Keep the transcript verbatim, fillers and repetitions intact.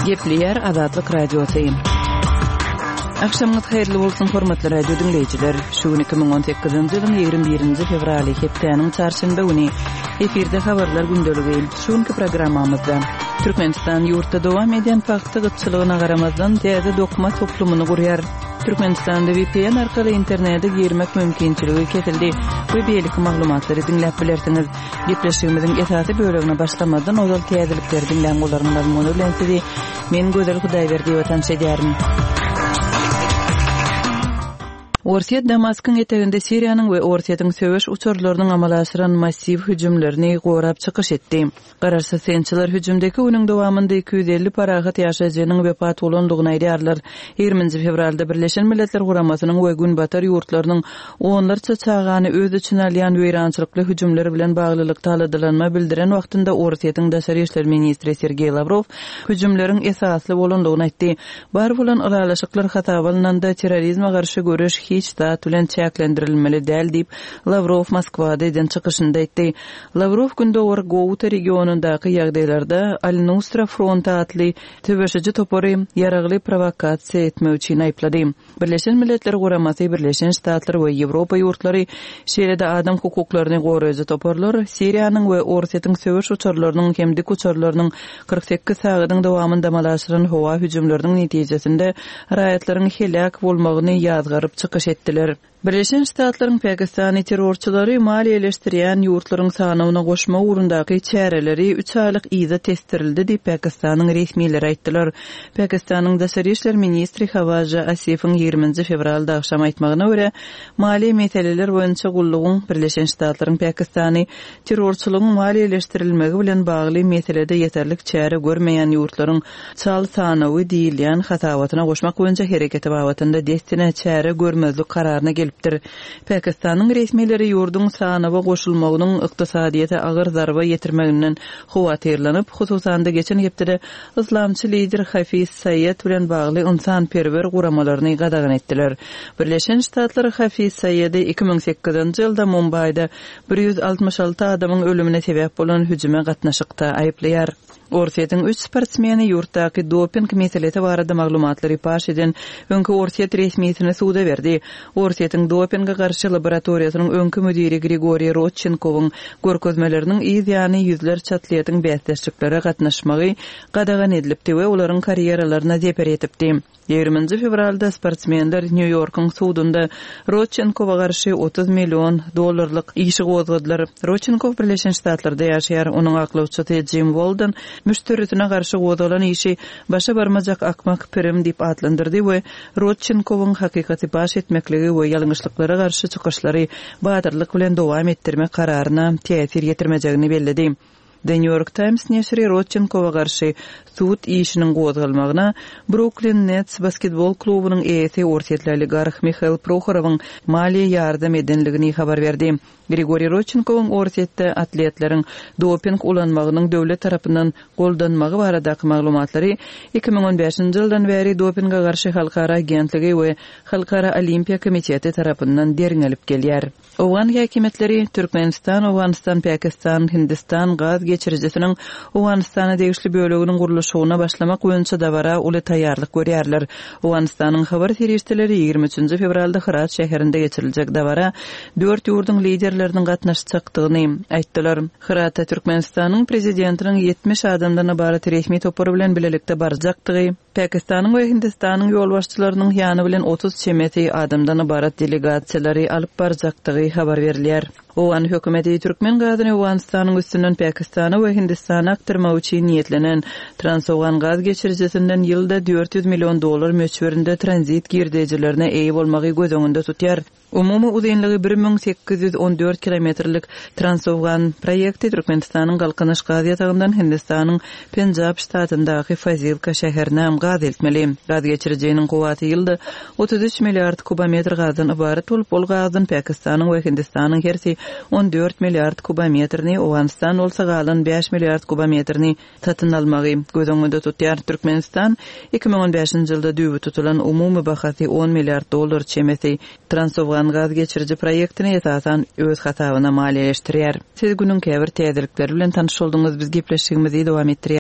Gepleýär Azatlyk Radiosy. Agşamyňyz haýyrly bolsun, hormatly radio diňleýjiler. Şu gün iki müň on sekizinji ýylyň ýigrimi birinji fewraly, hepdäniň çarşenbe güni. Efirde habarlar gündeligi. Şu günki programmamyzda Türkmenistan ýurtda dowam edýän pagta gytçylygyna garamazdan täze dokma toplumyny gurýar. Türkmenistanda V P N arkaly internete girmek mümkinçiligi kesildi we beýleki maglumatlary diňläp bilersiňiz. Gepleşigimiziň esasy bölegine başlamazdan ozal täzelikleri diňläň, olaryň mazmuny bilen sizi men Gözel Hudaýberdiýewa tanyş edýärin. Orsýet Damaskyň eteginde Siriýanyň we Orsýetiň söweş uçarlarynyň amala aşyran massiw hüjümlerini gorap çykyş etdi. Garaşsyz synçylar hüjümdeki günüň dowamynda iki ýüz elli parahat ýaşaýjynyň wepat bolandygyny aýdýarlar. Ýigriminji fewralda Birleşen Milletler Guramasynyň we Günbatar ýurtlarynyň onlarça çagany öz içine alýan weýrançylykly hüjümler bilen baglylykda aladalanma bildiren wagtynda Orsýetiň daşary işler ministri Sergeý Lawrow hüjümleriň esasly bolandygyny aýtdy. Bar bolan ylalaşyklar hasaba alnanda terrorizme garşy göreş hiç zat bilen çäklendirilmeli däl diýip Lawrow Moskwada eden çykyşynda aýtdy. Lawrow Gündogar Gouta regionundaky ýagdaýlarda Al-Nusra fronty atly söweşiji topary ýaragly provokasiýa etmek üçin aýyplady. Birleşen Milletler Guramasy, Birleşen Ştatlar we Ýewropa ýurtlary, şeýle-de adam hukuklaryny goraýjy toparlar Siriýanyň we Orsýetiň söweş uçarlarynyň hem dik uçarlarynyň kyrk sekiz sagadyň dowamynda amala aşyran howa hüjümleriniň netijesinde raýatlaryň heläk bolmagyny ýazgaryp çykyş etdiler. Birleşen Ştatlaryň Pakistany terrorçylary maliýeleşdirýän ýurtlaryň sanawyna goşmak ugrundaky çäreleri üç aýlyk yza testirildi diýip Pakistanyň resmileri aýtdylar. Pakistanyň daşary işler ministri Hawaja Asifiň ýigriminji fewralda agşam aýtmagyna görä, maliýe meseleler boýunça gullugyň Birleşen Ştatlaryň Pakistany terrorçylygyň maliýeleşdirilmegi bilen bagly meselede ýeterlik çäre görmeýän ýurtlaryň çal sanawy diýilýän hasabatyna goşmak boýunça hereketi babatynda dessine çäre görmezlik kararyna gelipdir. Pakistanyň resmileri ýurduň sanawa goşulmagynyň ykdysadyýete agyr zarba ýetirmeginden howatyrlanyp, hususan-da geçen hepdede yslamçy lider Hafiz Saýed bilen bagly ynsanperwer guramalaryny gadagan etdiler. Birleşen Ştatlar Hafiz Saýedi iki müň sekizinji ýylda Mumbaýda bir ýüz altmyş alty adamyň ölümine sebäp bolan hüjüme gatnaşykda aýyplaýar. Orsýetiň üç sportsmeni ýurtdaky doping meselesi barada maglumatlary paş eden öňki Orsýet resmisini suda berdi. Orsýetiň dopinge garşy laboratoriýasynyň öňki müdiri Grigoriý Rodçenkowyň görkezmeleriniň yz ýany ýüzlerçe atletiň bäsdeşliklere gatnaşmagy gadagan edilipdi we olaryň karýeralaryna zeper ýetipdi. Ýigriminji fewralda sportsmenler Nýu-Ýorkuň sudunda Rodçenkowa garşy otuz million dollarlyk işi gozgadylar. Rodçenkow Birleşen Ştatlarda ýaşaýar. Onuň aklawçysy Jim Walden müşderisine garşy gozgalan işi başa barmajak akmak pirim diýip atlandyrdy we Rodçenkowyň hakykaty baş etmekligi we ýalňyşlyklara garşy çykyşlary batyrlyk bilen dowam etdirmek kararyna täsir ýetirmejegini belledi. The New York Times neşiri Rodçenkowa garşy sud işiniň gozgalmagyna Brooklyn Nets basketbol klubunyň eýesi Orsýetli oligarh Mihail Prokhorowyň maliýe ýardam edenligini habar berdi. Grigoriý Rodçenkowyň Orsýetde atletleriň doping ulanmagynyň döwlet tarapyndan goldanmagy baradaky maglumatlary iki müň on bäşinji ýyldan bäri dopinge garşy halkara agentligi we Halkara Olimpiýa komiteti tarapyndan derňelip gelýär. Owgan häkimiýetleri Türkmenistan, Owganystan, Pakistan, Hindistan gaz geçirijisiniň Owganystana degişli böleginiň gurluşygyna başlamak boýunça dabara uly taýýarlyk görýärler. Owganystanyň habar serişdeleri ýigrimi üçünji fewralda Hyrat şäherinde geçiriljek dabara dört ýurduň liderleriniň gatnaşjakdygyny aýtdylar. Hyratda Türkmenistanyň prezidentiniň ýetmiş adamdan ybarat resmi topary bilen bilelikde barjakdygy, Pakistanyň we Hindistanyň ýolbaşçylarynyň ýany bilen otuz çemesi adamdan ybarat delegasiýalary alyp barjakdygy habar berilýär. Owgan hökümeti Türkmen gazyny Owganystanyň üstünden Pakistana we Hindistana akdyrmak üçin niýetlenen Transowgan gaz geçirijisinden ýylda dört ýüz million dollar möçberinde tranzit girdejilerine eýe bolmagy göz öňünde tutýar. Umumy uzynlygy bir müň sekiz ýüz on dört kilometrlik Transowgan proýekti Türkmenistanyň Galkynyş gaz ýatagyndan Hindistanyň Penjab ştatyndaky Fazilka şäherine gaz eltmeli. Gaz geçirijiniň kuwwaty ýylda otuz üç milliard kubometr gazdan ybarat bolup, ol gazdan Pakistanyň we Hindistanyň hersi on dört milliard kubometrini, Owganystan bolsa galan bäş milliard kubometrini satyn almagy göz öňünde tutýar. Türkmenistan iki müň on bäşinji ýylda düýbi tutulan umumy bahasy on milliard dollar çemesi Transowgan gaz geçiriji proýektini esasan öz hasabyna maliýeleşdirýär. Siz günüň käbir täzelikleri bilen tanyş bolduňyz. Biz gepleşigimizi dowam etdirýär.